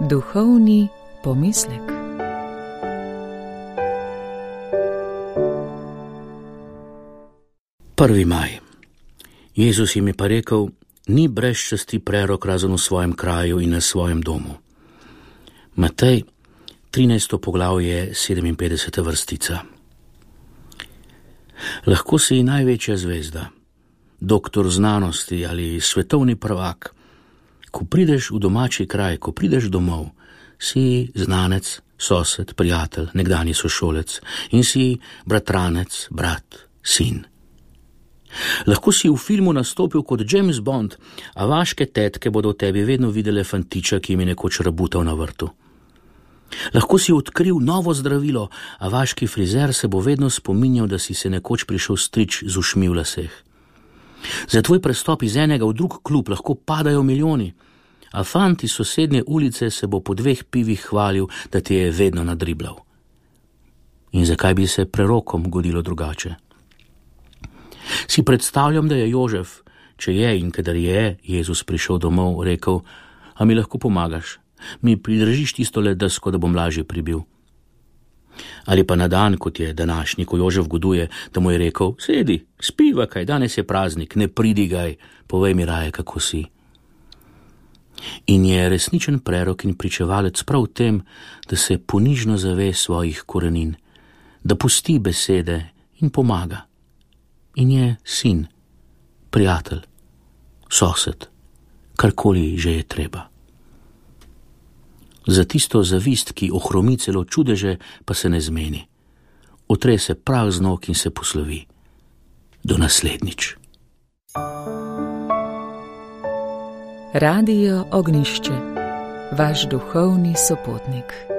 Duhovni pomislek. Prvi maj. Jezus jim je pa rekel: ni brez časti prerok razen v svojem kraju in na svojem domu. Matej, 13. poglavje, 57. vrstica. Lahko si največja zvezda, doktor znanosti ali svetovni prvak. Ko prideš v domači kraj, ko prideš domov, si znanec, sosed, prijatelj, nekdanji sošolec in si bratranec, brat, sin. Lahko si v filmu nastopil kot James Bond, a vaške tetke bodo v tebi vedno videle fantiča, ki jim je nekoč rabutal na vrtu. Lahko si odkril novo zdravilo, a vaški frizer se bo vedno spominjal, da si se nekoč prišel strič z ušmi v laseh. Za tvoj prestop iz enega v drug klub lahko padajo milijoni, a fant iz sosednje ulice se bo po 2 pivih hvalil, da ti je vedno nadriblal. In zakaj bi se prerokom godilo drugače? Si predstavljam, da je Jožef, če je in kadar je Jezus prišel domov, rekel: a mi lahko pomagaš? Mi pridržiš tistole desko, da bom lažje pribil? Ali pa na dan, kot je današnji, ko Jožef goduje, da mu je rekel: sedi, spiva kaj, danes je praznik, ne pridigaj, povej mi raje, kako si. In je resničen prerok in pričevalec prav v tem, da se ponižno zave svojih korenin, da pusti besede in pomaga. In je sin, prijatelj, sosed, karkoli že je treba. Za tisto zavist, ki ohromi celo čudeže, pa se ne zmeni. Otre se prah z nog in se poslovi. Do naslednjič. Radio Ognjišče, vaš duhovni sopotnik.